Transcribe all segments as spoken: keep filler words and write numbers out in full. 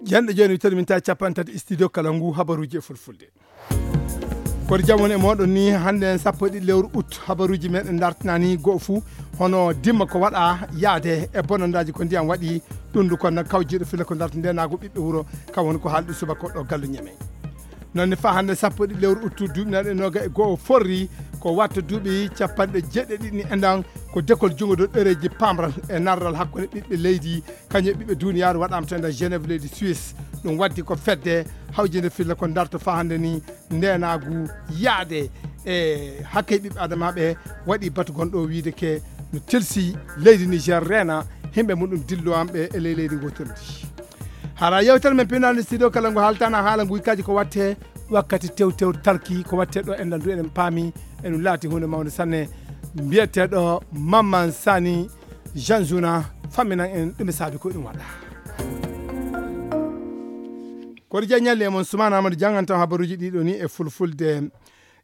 Jenɗo jooni wittoɗo min tawi capanɗe tati studio kala ngu habaruuji e fulfulde. Koɗo jam woni e mooɗon ni hannde sappo e ɗiɗi lewru août habaruuji meɗen dartinani go'o fuu hono dimma ko waɗa yaade e bonondaaji ko ndiyam waɗi ɗum ndu kono kawjiiɗo fila ko darta ndenaagu ɓiɓɓe wuro kam woni ko haalɗi subaka ɗo gallu ñeme. Noon ne faa hannde sappo e ɗiɗi lewru août duuɓi naɗe noga e go'o forri ko watta duuɓi capanɗe jeeɗiɗi ni enɗan ko dekol junngo dow ɗereeji pamral e narral hakkunde ɓiɓɓe leydi kañum e ɓiɓɓe duniyaaru waɗaama to nder Genève leydi Suisse. Ɗum waddi ko fedde hawjinde filla ko darto faa hannde ni ndenaagu yaade e hakkee ɓiɓɓe adamaaɓe waɗi batu gonɗo wiyde ke no telsi leydi Niger reena himɓe muɗum dillowanɓe e ley leydi ngotorndi. Hara yewtere men pinal studio kala ngo haaltana haala nguykaji ko watte wakkati tew tew talki ko watte ɗo enɗan du eɗen paami eɗum laati hunde mawnde sanne. Mbiyeteɗo Mamman Sani Jean Juna famminan en ɗum e saabi ko ɗum waɗa. Koɗo jeññalle e mon Sumana Amadou janngantam habaruuji ɗiɗo ni e fulfulde.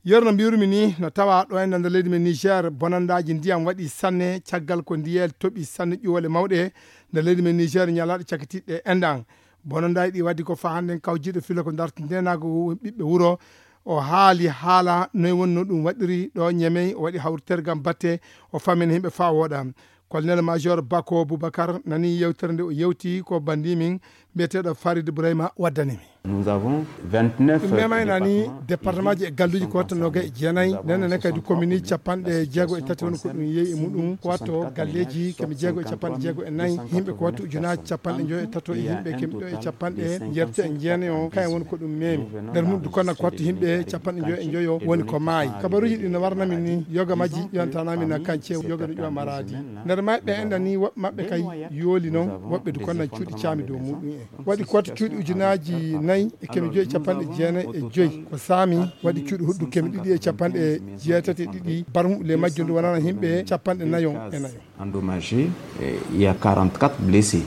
Yer no mbiyirmi ni no tawa ɗo e nder leydi men Niger bonandaaji ndiyam waɗi sanne caggal ko ndiyel toɓi sanne ƴuwole mawɗe nder leydi men Niger ñalaaɗe cakkitiiɗe enɗan. Bonandaaji ɗi waddi ko faa hannden kawjiiɗo filo ko darta ndenaagu ɓiɓɓe wuro o haali haala noy wonno ɗum waɗiri ɗo ñemey o waɗi hawritere gam batte o fammina himɓe faa wooɗa. Colonel major Bako Boubacar nani yewtere nde o yewti ko bandi min mbiyeteɗo Farid Ibrahima waddani mi. Nous avons vingt-neuf ɗum memay nani département ji e galluji ko watta noga e jeenayi nene ne kadi commune capanɗe jeego e tati woni ko ɗum yeeyi e muɗum ko watto galleji kemi jeego e capanɗe jeego e nayi yimɓe ko watto ujunaji capanɗe joyo e tato e yimɓe kemi ɗo e capanɗe jeetati e jeenayi o kayen woni ko ɗum memi nder mum du konna ko watto yimɓe capanɗe joyo e joyo woni ko maayi. Kabaruji ɗi no warnami ni yoga majji ƴuwantanami na kance yoga no ƴuwa maradi. Nder mayɓe enɗan ni woɓɓe maɓɓe kay yooli noon woɓɓe du konnan cuuɗi caami dow muɗum en waɗi koota cuuɗi ujunaaji nayi e kemi joyi e capanɗe jeenayi e joyi ko saami waɗi cuuɗi huɗdu kemi ɗiɗi e capanɗe jeetati e ɗiɗi barmu le majjum ndu wonana yimɓe capanɗe nayo e nayo. Endommagé, eh, il y a quarante-quatre blessés.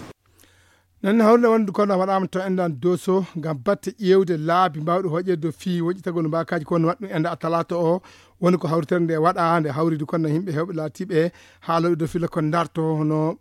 Noon ne hawrde wonde kono waɗaama to enɗan doso ngam batte ƴeewde laabi mbaawɗi hoƴeede dow fii woƴƴitagol mbaakaaji kono waɗɗum enɗa a talaata o woni ko hawritere nde waɗa nde hawridi kono yimɓe heewɓe laatiiɓe haalooɓe dow fila ko darto hono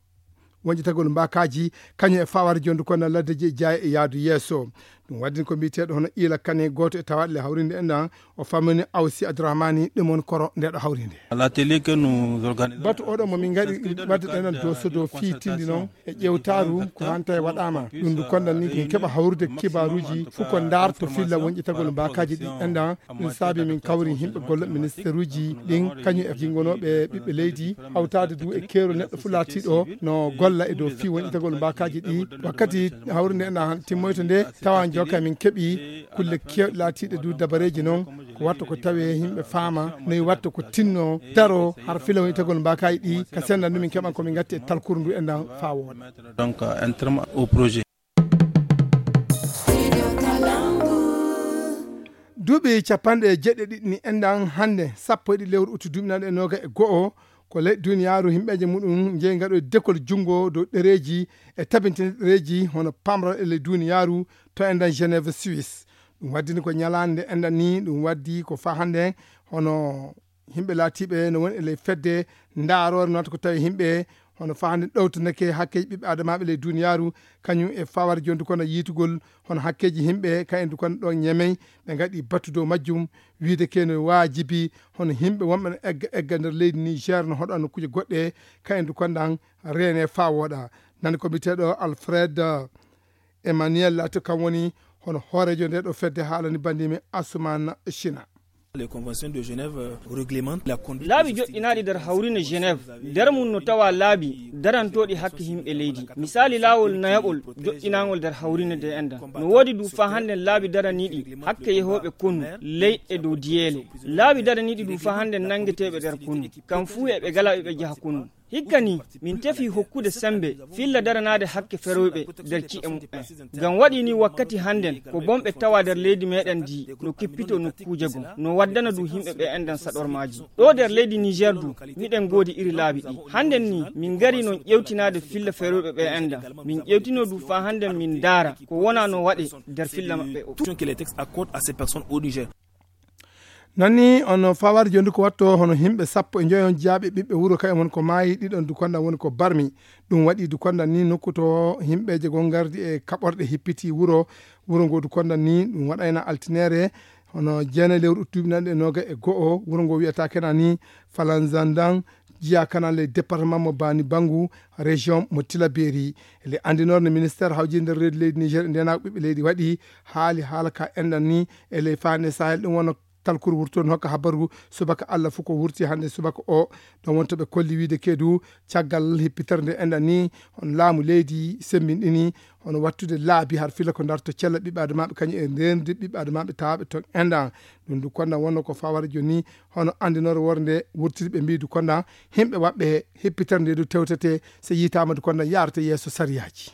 woƴƴitagol mbaakaaji kañum e fawaade jonde kono laddeji e jaaye e yaadu yeeso. Ɗum waɗi ko mbiyeteeɗo hono iila kane gooto e tawaaɗe le hawrinde enɗan o fammini Awsi Abdourahmani ɗum woni koro ndeɗo hawrinde. L'atelier que nous organisons batu oɗo mo min ngaɗi wadde ɗenen doso dow fii tindi noon e ƴewtaaru ko hanta e waɗaama ɗum ndu kondan ni min keɓa hawrude kibaaruuji fof ko ndaarto filla wonƴitagol mbaakaaji ɗi enɗan. Ɗum saabi min kawri yimɓe golle ministeruuji ɗin kañum e jingonooɓe ɓiɓɓe leydi hawtaade du e keerol neɗɗo fof laatiiɗo no golla e dow fii wonƴitagol mbaakaaji ɗi wakkati hawrinde enɗan timmoyto nde tawa joka min keɓi kulle keewɗe laatiiɗe du dabareeji noon ko watta ko tawi yimɓe faama noyi watta ko tinno daro har fila wonitagol mbaakaaji ɗi ka senndan ɗum min keɓan ko min ngatti e talkuru ndu enɗan faa wooɗa. Donc, euh, un terme au projet. Duuɓi capanɗe jeeɗiɗi ɗiɗi ni enɗan hannde sappo e ɗiɗi lewru utu duuɓi naɗe e noga e go'o ko ley duniyaaru yimɓeeje muɗum njeyi ngaɗo e dekol junngo dow ɗereeji e tabintinɗe ɗereeji hono pamral e ley duniyaaru to enɗan Genève Suisse. Ɗum waddini ko ñalaande nde enɗan ni ɗum waddi ko faa hannde hono yimɓe laatiiɓe no woni e ley fedde ndaaroore noon ko tawi yimɓe hono faa hannde ɗowtanake hakkeeji ɓiɓɓe adamaaɓe ley duniyaaru kañum e fawar jondu kono yiitugol hono hakkeeji yimɓe kayen du kono ɗo ñemey ɓe ngaɗi battu dow majjum wiide keno waajibi hono yimɓe wonɓe no egga egga nder leydi Niger no hoɗa nokkuuje goɗɗe kayen du kondan reene faa wooɗa. Nani ko mbiyeteeɗo Alfred Emmanuel Lato kam woni hono hooreejo nde ɗo fedde haalani banndimi Asuman China. Les conventions de Genève, euh, réglementent la conduite laabi joƴƴinaaɗi nder hawrine Genève nder mum no tawa laabi darantooɗi hakke yimɓe leydi. Misaali laawol nayaɓol joƴƴinaangol nder hawrine nde enɗan. No woodi du faa hannden laabi daraniiɗi hakke yehooɓe konu leyɗe dow diyeele. Laabi daraniiɗi du faa hannden nanngeteeɓe nder konu. Kam fuu eɓe gala eɓe jaha konu. Hikka ni, min tefi hokkude semmbe filla daranaade hakke ferooyɓe nder ci'e muɓɓen. Ngam waɗi ni wakkati hannden ko bonɓe tawa nder leydi meeɗen ndi no kippito nokkuuje goo, no waddana du yimɓe ɓe enɗan saɗormaaji. Ɗo nder leydi Niger du, miɗen ngoodi iri laabi ɗi. Hannden ni, min ngari non ƴewtinaade filla ferooyɓe ɓe enɗan. Min ƴewtino du faa hannden min ndaara ko wona no waɗe nder filla maɓɓe o. Tout ce que les textes accordent à ces personnes au Niger. Nani on fawar jondi ko watto hono himɓe sappo e joyo on jiyaaɓe ɓiɓɓe wuro kayen won ko maayi, ɗiɗon dukonda woni ko barmi. Ɗum waɗi dukonda ni nokku to himɓeje gon gardi e kaɓorɗe hippiti wuro. Wuro ngo dukonda ni ɗum waɗayna altinere hono jeenayi lewru uttuɓinanɗe noga e go'o. Wuro ngo wiyata kena ni Falanzandan, jiya kana le département mo Bani Bangu, région mo Tilaberi. Le andinorde ministère hawjinde reedu leydi Niger e ndenaako ɓiɓɓe leydi waɗi haali haala ka enɗan ni e ley fande Sahel. Ɗum wona talkuru wurtoon hokka habaru subaka Allah fof ko wurti hannde subaka o. Ɗon wonto ɓe kolli wiide keedu caggal hippitere nde enɗan ni on laamu leydi semmbinɗini hono wattude laabi har fila ko darto cella ɓiɓɓe adamaaɓe kañum e reenude ɓiɓɓe adamaaɓe tawaaɓe toon enɗan. Ɗum du konda wonno ko fawara jooni hono anndinoore worde wurtiri ɓe mbiidu konda himɓe waɓɓe hippitere nde du tewtete so yitaama du konda yaarata yeeso sariyaaji.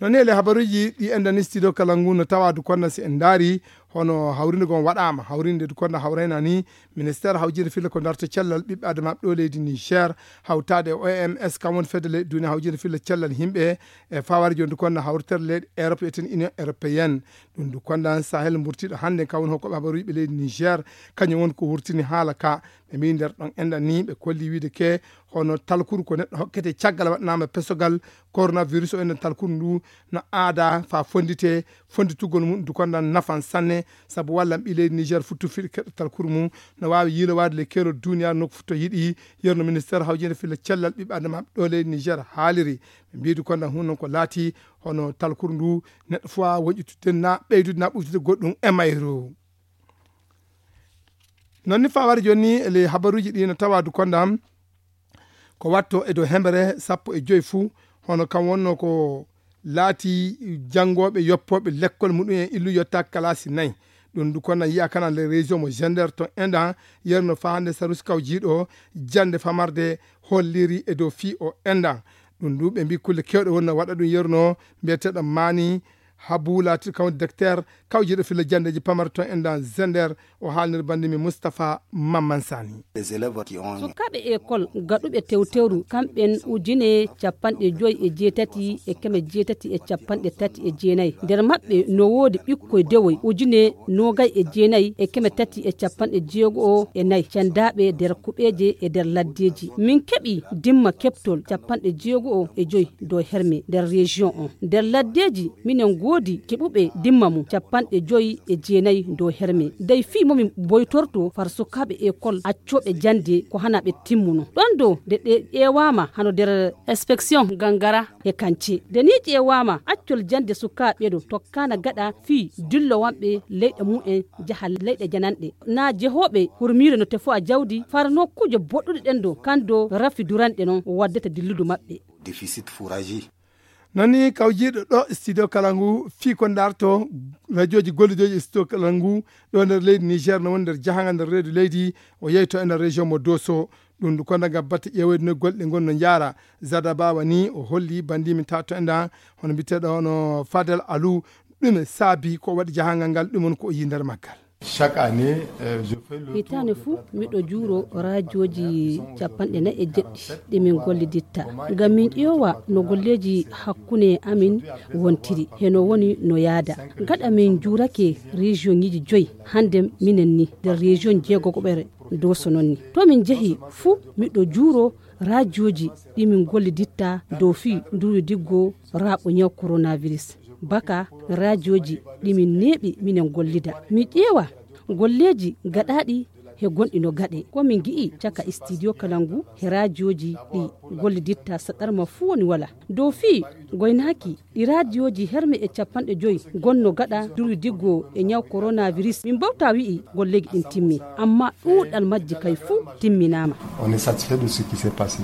Noon ele habaruuji ɗi enɗan studio kala ngu no tawa du konda si en ndaari hono hawrinde gon waɗaama hawrinde du konda hawrayna ni ministère hawjinde filla ko darto cellal ɓiɓɓe adamaaɓe ɗo leydi Niger hawtaade e O M S kam woni fedde leyɗe duniya hawjinde filla cellal himɓe e fawara jooni du konda hawritere leyɗe Europe eten Union Européenne. Ɗum du konda Sahel mburtiɗo hannde kam woni hokkoɓe habaruuji ɓe leydi Niger kañum woni ko wurtini haala ka. Ɓe mbi nder ɗon enɗan ni ɓe kolli wiide ke hono talkuru ko neɗɗo hokkete caggal waɗanaama pesogal coronavirus o enɗan talkuru ndu no aada fa fondite fonditugol mum du konda nafan sanne. Sabu wallan ɓi leydi Niger futtu fiɗi keɗɗo talkuru mum no waawi yiilowaade le keerol duniyaru nokku fof to yiɗi. Yerno ministère hawjinde filla cellal ɓiɓɓe adamaaɓe ɗo leydi Niger haaliri ɓe mbiidu konda hun noon ko laati hono talkuru ndu neɗɗo fof a woƴƴitude na ɓeydude na ɓuytude goɗɗum e mayru. Noon ni fawara jooni ni ele habaruuji ɗi no tawa du konda ko watto e dow hembere sappo e joyi fuu hono kam wonno ko laati janngooɓe yoppooɓe lekkol muɗum en illu yotta kalasi nayi. Ɗum du konda yiya kana le région mo gender to enɗan yerno fahande sarus kawjiiɗo jannde famarde holliri e dow fii o enɗan. Ɗum du ɓe mbi kulle kewɗe wonno waɗa ɗum yerno mbiyeteɗo mani habu laatiɗo kam docteur kawjiiɗo filla janndeeji pamare toon enɗan gender. O haalnir banndimi Moustapha Mamman Sani. Sukaaɓe école gaɗuɓe tewtewru kamɓen ujine capanɗe joyi e jeetati e keme jeetati e capanɗe tati e jeenayi. Nder maɓɓe no woodi ɓikkoy dewoy ujine noogay e jeenayi e keme tati e capanɗe jeego'o e nayi cendaaɓe nder kuɓeeje e nder laddeeji. Min keɓi dimma keɓtol capanɗe jeego'o e joyi dow herme nder région on. Nder laddeeji minen ngoodi keɓuɓe dimma mum capanɗe joyi e jeenayi dow herme. Dey fii momin boytorto far sukaaɓe école accooɓe jannde ko hana ɓe timmuno. Ɗon dow nde ɗe ƴeewaama hano nder inspection gangara e kance. Nde ni ƴeewaama accol jannde sukaaɓe ɗo tokkaana gaɗa fii dillowanɓe leyɗe mum en jaha leyɗe jananɗe. Naa jehooɓe hurmiire no tefo a jawdi far nokkuuje boɗɗuɗe ɗen do kan do rafi duranɗe non waddata dilludu maɓɓe. Déficit fourragé. Noon ni kawjiiɗo ɗo studio kala ngu fii ko ndarto radiooji gollidooji e studio kala ngu ɗo nder leydi Niger no woni nder jahangal nder reedu leydi o yeyto e nder région mo Doso. Ɗum du konda ngam batte ƴeewoyde no golle ɗe ngon no njaara. Zada Bawa ni o holli banndimi tato enɗan hono mbiyeteɗo hono Fadel Alou. Ɗume saabi ko waɗi jahangal ngal ɗum woni ko o yii nder maggal. Chaque année, euh, je fais le tour. Hitaande fuu miɗo juuro raajooji capanɗe nayi e jeɗɗi ɗi min golliditta ngam min ƴeewa no golleeji hakkunde amin wontiri heno woni no yaada. Gaɗa min juurake région ŋiji joyi hannde minen ni nder région jeegogoɓere Doso non ni to min jehi fuu miɗo juuro raajooji ɗi min golliditta dow fii ndurudiggo raaɓo ñaw coronavirus. Baka raajooji ɗi min neeɓi minen gollida mi ƴeewa golleeji gaɗaaɗi he gonɗi no gaɗe ko min gi'i caka studio kala ngu he raajooji ɗi golliditta saɗarma fuu woni wala dow fii goynaaki ɗi raajooji herme e capanɗe joyi gonno gaɗa durudiggo e ñaw coronavirus min mbawta wi'i golleeji ɗin timmi amma ɗuuɗal majji kay fuu timminaama. On est satisfait de ce qui s'est passé.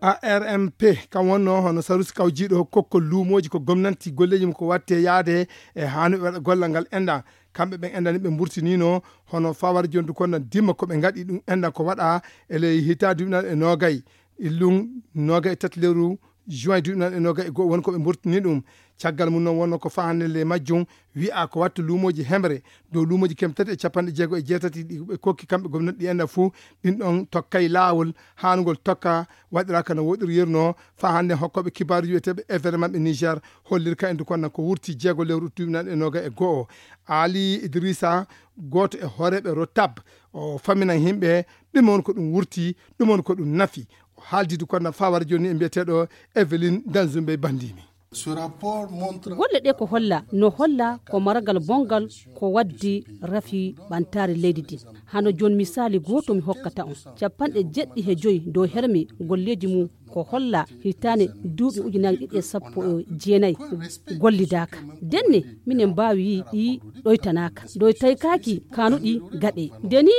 A R M P kam wonno hono sarusi kawjiiɗo kokkol luumooji ko gomnanti golleeji mum ko watte yaade e hanuɓe waɗa gollal ngal enɗan. Kamɓe ɓen enɗan ɓe mburtinino hono fawar jondu konno dimma ko ɓe ngaɗi ɗum enɗan ko waɗa e ley hitaade duuɓi nayi e noogay illum noogay e tati lewru juin duuɓi nayi e noogay e go'o woni ko ɓe mburtini ɗum. Caggal mum noon wonno ko fahanle ley majjum, wi'a ko watta luumooji hemre dow luumooji keme tati e capanɗe jeego e jeetati ɗi ɓe kokki kamɓe gomnati ɗi enna fuu, ɗin ɗon tokkay laawol haanugol tokka, waɗiraaka no woɗiri yernoo. Faa hannde hokkooɓe kibaaruuji wi'eteeɓe événement ɓe Niger holliri ka endu kon ko wurti jeego lewru tuubi nan e nooga e go'o. Ali Idrissa, gooto e hooreeɓe Rotab, o faminan yimɓe ɗum woni ko ɗum wurti, ɗum woni ko ɗum nafi. O haaldidu kon faa wara jooni e mbiyeteeɗo Evelyn Danzumbe Bandimi. Golle ɗe ko holla, no holla ko maragal bongal ko waddi rafi ɓantaare leydi din. Hano jooni misaali gooto mi hokkata on. Capanɗe jeɗɗi he joyi dow hermi golleeji mum ko holla hitaande duuɓi ujunaaji ɗiɗi e sappo e jeenayi gollidaaka. Denne minen mbaawi yi'i ɗi ɗoytanaaka. Ɗoy taykaaki kaanuɗi gaɗe. Nde ni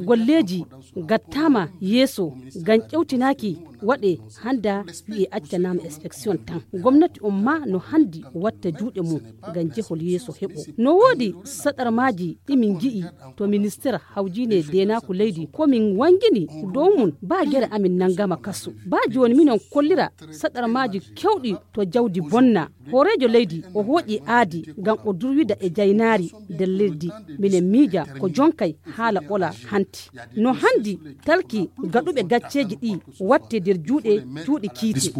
golleeji gattaama yeeso ngam ƴewtinaaki waɗe hannda wi'e accanaama inspection tan. Gomnati on ma no hanndi watta juuɗe mum ngam jehol yeeso heɓo. No woodi saɗarmaaji ɗi min ngi'i to ministeer hawjiine deenaaku leydi ko min wanngini dow mum baa gere amin nanngama kaso. Baa jooni minon kollira saɗarmaaji kewɗi to jawdi bonna. Hooreejo leydi o hooƴi aadi ngam o durwida e jaynaari nder leydi. Minen miija ko jonkay haala ɓola hanti. No hanndi talki gaɗuɓe gacceeji ɗi watte nder juuɗe cuuɗi kiite.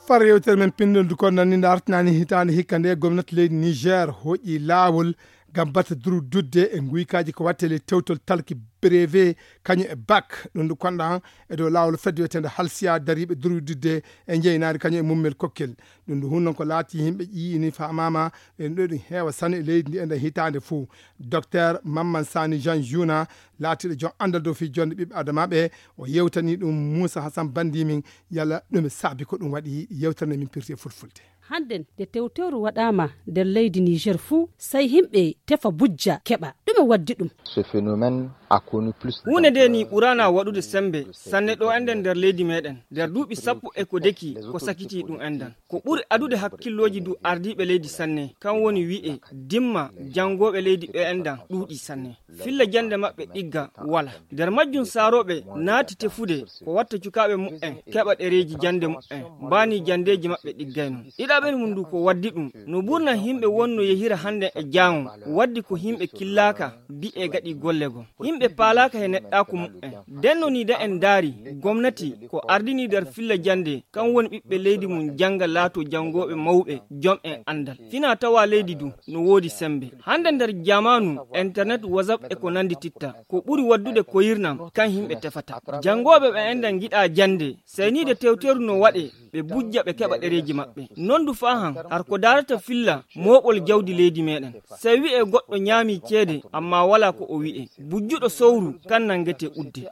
Far yewtere men pinndol du kon nanni nde artinaani hitaande hikka nde gomnati leydi Niger hoƴi laawol ngam bata durwidudde e nguykaaji ko watte ley tewtol talki brevet kañum e bac. Ɗum du konɗan e dow laawol fedde wiyeteende halsiya dariiɓe durwidudde e njeynaari kañum e mummel kokkel. Ɗum du hun noon ko laati yimɓe ƴiini faamaama ɓen ɗo ɗum heewa sane e leydi ndi e nder hitaande fuu. Docteur Mamman Sani Jean Juna laatiiɗo joom anndal dow fii jonde ɓiɓɓe adamaaɓe o yewtani ɗum Muusa Hasan Bandimin yalla ɗume saabi ko ɗum waɗi yewtere nde min pirti e fulfulde. Hannden nde tewteeru waɗaama nder leydi Niger fuu, sey himɓe tefa bujja keɓa. Ɗume waddi ɗum? Ce phénomène a connu plus. Huunde nde ni ɓuraana waɗude semmbe sanne ɗo enɗen nder leydi meɗen nder duuɓi sappo e ko deki ko sakiti ɗum enɗan. Ko ɓuri adude hakkillooji du ardiiɓe leydi sanne kan woni wi'e dimma janngooɓe leydi ɓe enɗan ɗuuɗi sanne. Filla jannde maɓɓe ɗigga wala. Nder majjum saarooɓe naati tefude ko watta cukaaɓe muɓɓen keɓa ɗereeji jannde muɓɓen mbaani janndeeji maɓɓe ɗiggayno. Ɗiɗaɓel mum ndu ko waddi ɗum no ɓurna yimɓe wonno yehira hannde e jaango waddi ko yimɓe killaaka bi'e gaɗi golle goo. Yimɓe paalaaka he neɗɗaaku muɓɓen. Ndenno ni da en ndaari gomnati ko ardini nder filla jannde kan woni ɓiɓɓe leydi mum jannga laato janngooɓe mawɓe jom en anndal. Fina tawa leydi du no woodi semmbe. Hannde nder jamaanu internet, whatsapp e ko nanndi titta ko ɓuri waddude koyirnam kan yimɓe tefata. Janngooɓe ɓe enɗan ngiɗa jannde seyniide tewteeru no waɗe ɓe bujja ɓe keɓa ɗereeji maɓɓe. Noon du faa han har ko daarata filla mooɓol jawdi leydi meɗen. Sey wi'e goɗɗo ñaami ceede amma wala ko o wi'e. Bujjuɗo sowru kan nanngete udde.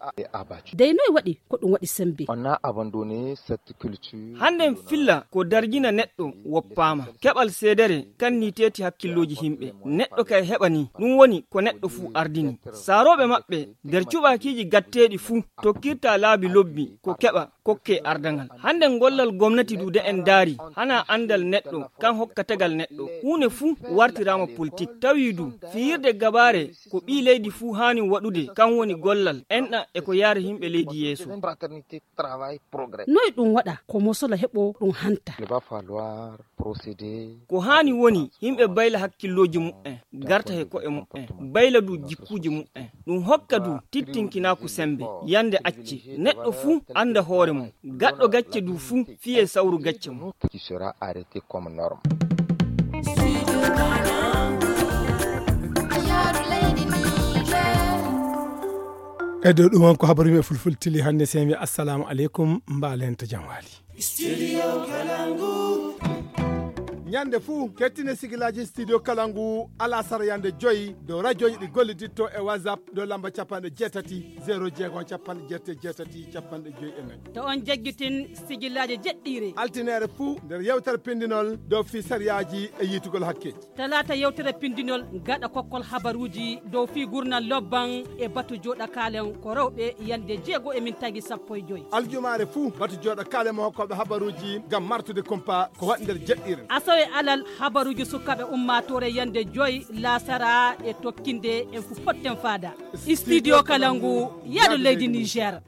Dey noy waɗi ko ɗum waɗi semmbe? Hannden filla ko darjina neɗɗo woppaama. Keɓal seedere kan ni teeti hakkillooji yimɓe. Neɗɗo kay heɓa ni ɗum woni ko neɗɗo fuu ardini. Saarooɓe maɓɓe nder cuɓaakiiji gatteeɗi fuu tokkirta laabi lobbi ko keɓa kokke ardangal. Hannden gollal gomnati du de en ndaari hana anndal neɗɗo kan hokka tegal neɗɗo. Huunde fuu wartiraama politik. Tawi du fiyirde gabaare ko ɓii leydi fuu haani waɗude kan woni gollal enɗan e ko yaara yimɓe leydi yeeso. Noy ɗum waɗa ko mosola heɓo ɗum hanta? Ko haani woni yimɓe bayla hakkillooji muɓɓen garta he ko'e muɓɓen bayla du jikkuuji muɓɓen. Ɗum hokka du tittinkinaaku semmbe yande acce neɗɗo fuu annda hoore mum. Gaɗɗo gacce du fuu fiye sawru gacce mum. E dow ɗum on ko habaru men fulfulde tili hannde, sey mi assalamu aleykum, mbaalen to jam waali. Ñande fuu kettine sigilaaji studio Kalangu alasara yande joyi dow rajooji ɗi golliditto e WhatsApp dow lamba capanɗe jeetati zero jeego capanɗe jeetati jeetati capanɗe joyi e nayi. To on jaggitin sigilaaji jeɗɗiire altineere fuu nder yewtere pindinol dow fii sariyaaji e yiitugol hakkeeji. Talaata yewtere pindinol gaɗa kokkol habaruuji dow fii gurnal lobban e batu jooɗa kaalen ko rewɓe yande jeego e min tagi sappo e joyi. Aljumaare fuu batu jooɗa kaalen mo hokkooɓe habaruuji ngam martude kumpa ko waɗi nder jeɗɗiire. Asawe Alal habaruuji sukaaɓe ummaatoore yande joy laasara e tokkinde en fu potten faada. Studio Kalangu, yaado leydi Niger.